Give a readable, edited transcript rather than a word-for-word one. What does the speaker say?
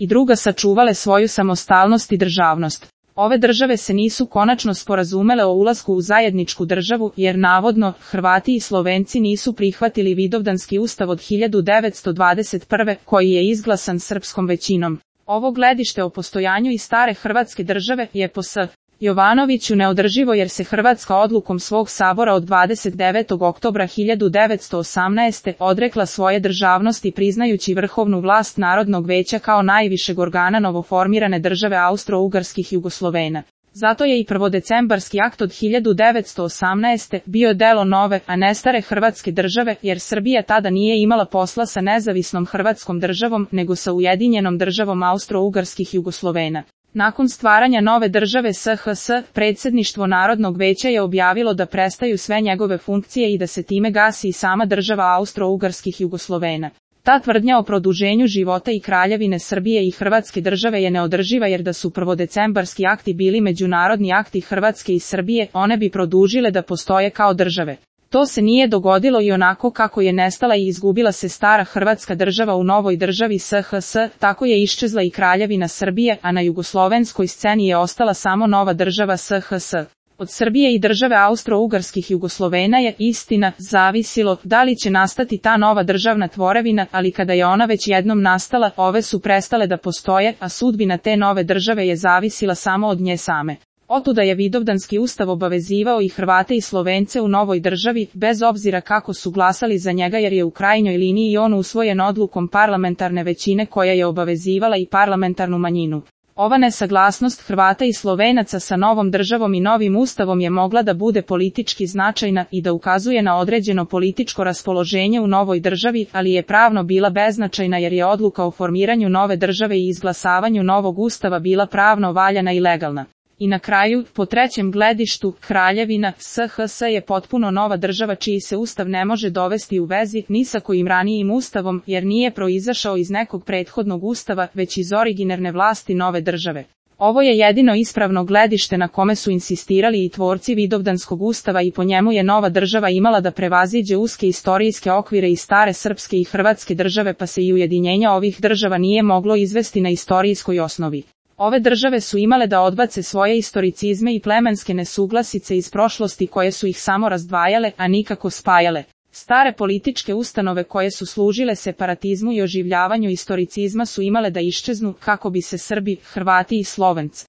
i druga sačuvale svoju samostalnost i državnost. Ove države se nisu konačno sporazumele o ulasku u zajedničku državu, jer navodno, Hrvati i Slovenci nisu prihvatili Vidovdanski ustav od 1921. koji je izglasan srpskom većinom. Ovo gledište o postojanju i stare Hrvatske države je po S. Jovanoviću neodrživo jer se Hrvatska odlukom svog sabora od 29. oktobra 1918. odrekla svoje državnosti priznajući vrhovnu vlast Narodnog veća kao najvišeg organa novoformirane države Austro-Ugarskih Jugoslovena. Zato je i prvodecembarski akt od 1918. bio delo nove, a ne stare Hrvatske države, jer Srbija tada nije imala posla sa nezavisnom Hrvatskom državom, nego sa ujedinjenom državom Austro-Ugarskih Jugoslovena. Nakon stvaranja nove države SHS, predsjedništvo Narodnog veća je objavilo da prestaju sve njegove funkcije i da se time gasi i sama država Austro-Ugarskih Jugoslovena. Ta tvrdnja o produženju života i kraljevine Srbije i Hrvatske države je neodrživa jer da su prvodecembarski akti bili međunarodni akti Hrvatske i Srbije, one bi produžile da postoje kao države. To se nije dogodilo i onako kako je nestala i izgubila se stara Hrvatska država u novoj državi SHS, tako je iščezla i kraljevina Srbije, a na jugoslovenskoj sceni je ostala samo nova država SHS. Od Srbije i države Austro-Ugarskih Jugoslovena je, istina, zavisilo da li će nastati ta nova državna tvorevina, ali kada je ona već jednom nastala, ove su prestale da postoje, a sudbina te nove države je zavisila samo od nje same. Otuda je Vidovdanski ustav obavezivao i Hrvate i Slovence u novoj državi, bez obzira kako su glasali za njega jer je u krajnjoj liniji on usvojen odlukom parlamentarne većine koja je obavezivala i parlamentarnu manjinu. Ova nesaglasnost Hrvata i Slovenaca sa novom državom i novim ustavom je mogla da bude politički značajna i da ukazuje na određeno političko raspoloženje u novoj državi, ali je pravno bila beznačajna jer je odluka o formiranju nove države i izglasavanju novog ustava bila pravno valjana i legalna. I na kraju, po trećem gledištu, kraljevina SHS je potpuno nova država čiji se ustav ne može dovesti u vezi ni sa kojim ranijim ustavom, jer nije proizašao iz nekog prethodnog ustava, već iz originarne vlasti nove države. Ovo je jedino ispravno gledište na kome su insistirali i tvorci Vidovdanskog ustava i po njemu je nova država imala da prevaziđe uske istorijske okvire i stare srpske i hrvatske države, pa se i ujedinjenja ovih država nije moglo izvesti na istorijskoj osnovi. Ove države su imale da odbace svoje istoricizme i plemenske nesuglasice iz prošlosti koje su ih samo razdvajale, a nikako spajale. Stare političke ustanove koje su služile separatizmu i oživljavanju istoricizma su imale da iščeznu kako bi se Srbi, Hrvati i Slovenci